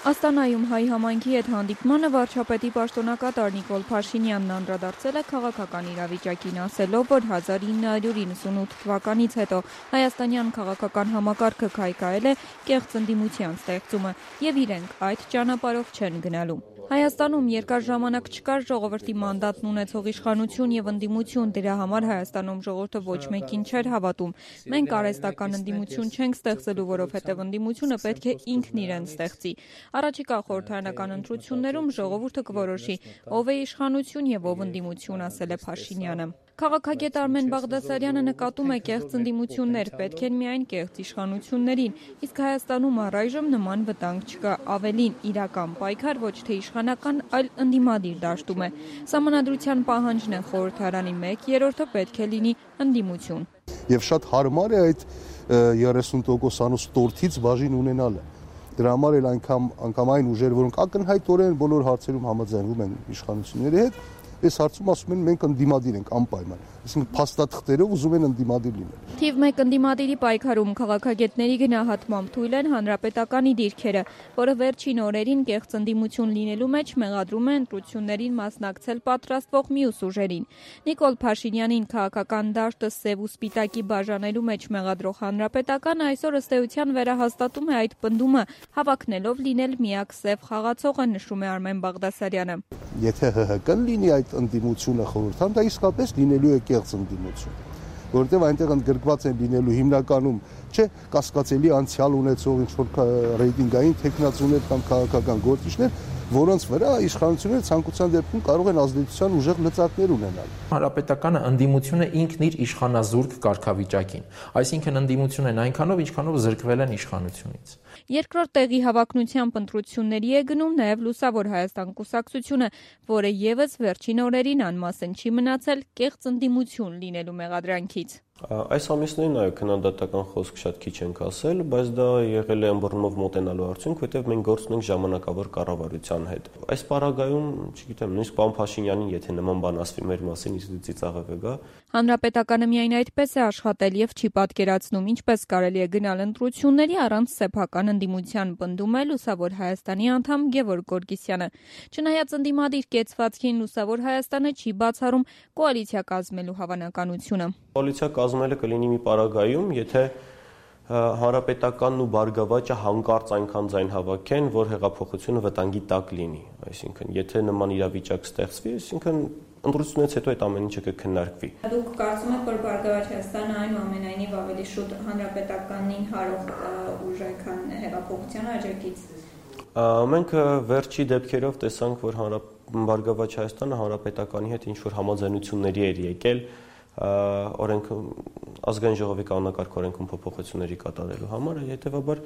Աստանայում հայ համայնքի հետ հանդիպմանը վարչապետի պաշտոնակատար Նիկոլ Փաշինյանն անդրադարձել է քաղաքական իրավիճակին, ասելով, որ 1998 թվականից հետո հայաստանյան քաղաքական համակարգը քայքայել է կեղծ ընդդիմության ստեղծումը, եւ իրենք այդ ճանապարհով չեն գնալու։ Հայաստանում երկար ժամանակ չկար ժողովրդի մանդատն ունեցող իշխանություն եւ ընդդիմություն, դրա համար Հայաստանում ժողովուրդը ոչ մեկին չէր հավատում։ Մենք արհեստական ընդդիմություն չենք ստեղծելու, որովհետեւ ընդդիմությունը պետք է ինքն իրեն ստեղծի։ Առաջիկա խորհրդարանական ընտրություններում ժողովուրդը կորոշի, ով է իշխանություն եւ ով ընդդիմություն, ասել է Փաշինյանը։ Քաղաքագետ Արմեն Բաղդասարյանը նկատում է կեղծ ընդդիմություններ, պետք են միայն կեղծ իշխանություններին, իսկ Հայաստանում առայժմ նման վտանգ չկա, ավելին իրական պայքար ոչ թե իշխանական, այլ ընդդիմադիր դաշտում է։ Սահմանադրության պահանջն է խորհրդարանի 1/3-ը պետք է լինի ընդդիմություն։ Եվ շատ հարմար է այդ 30%-անոց տորթից բաժին ունենալը։ Դրա համար էլ անգամ այն ուժեր, որոնք ակնհայտորեն բոլոր հարցերում համաձայնվում են իշխանությունների հետ, այս հարցում ասում են մենք ընդդիմադիր ենք անպայման, այսինքն փաստաթղթերով ուզում են ընդդիմադիր լինել։ Թիվ 1 ընդդիմադիրի պայքարում քաղաքագետների գնահատմամբ թույլ են հանրապետականի դիրքերը, որը վերջին օրերին կեղծ ընդդիմություն լինելու մեջ մեղադրում է ընտրություններին մասնակցել պատրաստվող մյուս ուժերին։ Նիկոլ Փաշինյանին քաղաքական դաշտը սև ու սպիտակի բաժանելու մեջ մեղադրող հանրապետականը այսօր ըստ էության վերահաստատում է այդ պնդումը, հավակնելով լինել միակ սև խաղացողը, նշում է Արմեն Բաղդասարյանը։ Եթե ՀՀԿ-ն լինի այդ ընդդիմությունը խորհրդարանում, դա իսկապես լինելու է կեղծ ընդդիմություն, որովհետև այնտեղ ընդգրկված են լինելու հիմնականում չէ կասկածելի անցյալ ունեցող ինչ-որ ռեյտինգային թեկնածուներ կամ քաղաքական գործիչներ, որոնց վրա իշխանությունները ցանկության դեպքում կարող են ազդեցության ուժեղ լծակներ ունենալ։ Հանրապետականը ընդդիմությունը ինքն իր իշխանազուրկ կարգավիճակին, այսինքն ընդդիմություն են այնքանով, ինչքանով զրկվել են իշխանությունից։ Երկրորդ տեղի հավակնությամբ ընտրությունների է գնում նաև Լուսավոր Հայաստան կուսակցությունը, որը եւս վերջին օրերին անմասն չի մնացել կեղծ ընդդիմություն լինելու մեղադրանքից։ Այս ամիսներին այո քննադատական խոսք շատ քիչ ենք ասել, բայց դա եղել է ըմբռնումով մոտենալու արդյունք, որտեղ մենք գործ ունենք ժամանակավոր կառավարության հետ։ Այս պարագայում, չգիտեմ, նույնիսկ պարոն Փաշինյանին, եթե նման բան ասվի մեր մասին, իսկ ծիծաղ է գա։ Հանրապետականը միայն այդպես է աշխատել եւ չի պատկերացնում, ինչպես կարելի է գնալ ընտրությունների առանց սեփական ընդդիմության, պնդում է Լուսավոր Հայաստանի անդամ Գևորգ Գորգիսյանը։ Չնայած ընդդիմադիր կեցվածքին Լուսավոր Հայաստանը չի բացառում կոալիցիա կազմելու հավանականությունը։ Կոալիցիա կազմելը կլինի մի պարագայում, եթե հանրապետականն ու Բարգավաճը հանկարծ այնքան ձայն հավաքեն, որ հեղափոխությունը վտանգի տակ լինի, այսինքն եթե նման իրավիճակ ստեղծվի, այսինքն ընտրությունից հետո այդ ամեն ինչը կքննարկվի։ Դուք կարծում եք, որ Բարգավաճ Հայաստանը այնուամենայնիվ ավելի շուտ հանրապետականին հարող ուժ է, քան հեղափոխության աջակից։ Մենք վերջի դեպքերով տեսանք, որ Բարգավաճ Հայաստանը հանրապետականի հետ ինչ-որ համաձայնությունների էր եկել ազգային ժողովի կանոնակարգ օրենքում փոփոխությունների կատարելու համար, հետևաբար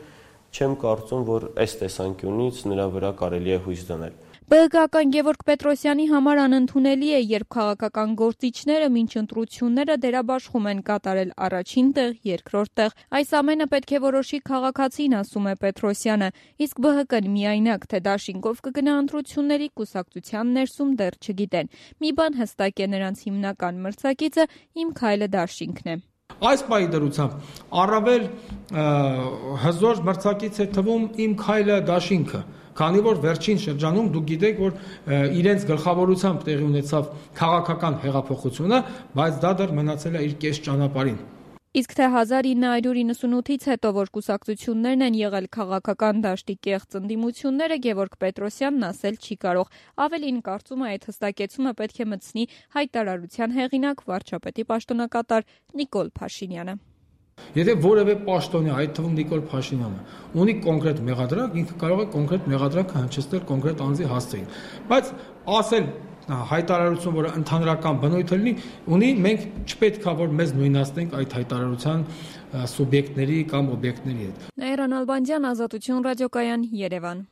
չեմ կարծում, որ այս տեսանկյունից նրա վրա կարելի է հույս դնել։ ԲՀԿ-ական Գևորգ Պետրոսյանի համար անընդունելի է, երբ քաղաքական գործիչները մինչ ընտրությունները դերաբաշխում են կատարել առաջին տեղ, երկրորդ տեղ։ Այս ամենը պետք է որոշի քաղաքացին, ասում է Պետրոսյանը, իսկ ԲՀԿ-ն միայնակ թե դաշինքով կգնա ընտրությունների կուսակցության ներսում դեռ չգիտեն։ Մի բան հստակ է, նրանց հիմնական մրցակիցը Իմ քայլը դաշինքն է։ Այս պահի դրությամբ առավել հզոր մրցակից է թվում Իմ քայլը դաշինքը, քանի որ վերջին շրջանում դուք գիտեք, որ իրենց գլխավորությամբ տեղի ունեցավ քաղաքական հեղափոխությունը, բայց դա դեռ մնացել է իր կես ճանապարհին։ Իսկ թե 1998-ից հետո, որ կուսակցություններն են եղել քաղաքական դաշտի կեղծ ընդդիմությունները, Գևորգ Պետրոսյանն ասել չի կարող։ Ավելին կարծում է, այդ հստակեցումը պետք է մտցնի հայտարարության հեղինակ վարչապետի պաշտոնակատար Նիկոլ Փաշինյանը։ Եթե որևէ պաշտոնյա, այդ թվում Նիկոլ Փաշինյանը, ունի կոնկրետ մեղադրանք, ինքը կարող է կոնկրետ մեղադրանքը հնչեցնել կոնկրետ անձի հասցեին։ Բայց ասել հայտարարություն, որը ընդհանրական բնույթ ունի, մենք չպետք է որ մեզ նույնացնենք այդ հայտարարության սուբյեկտների կամ օբյեկտների հետ։ Նաիրա Նալբանդյան, Ազատություն ռադիոկայան, Երևան։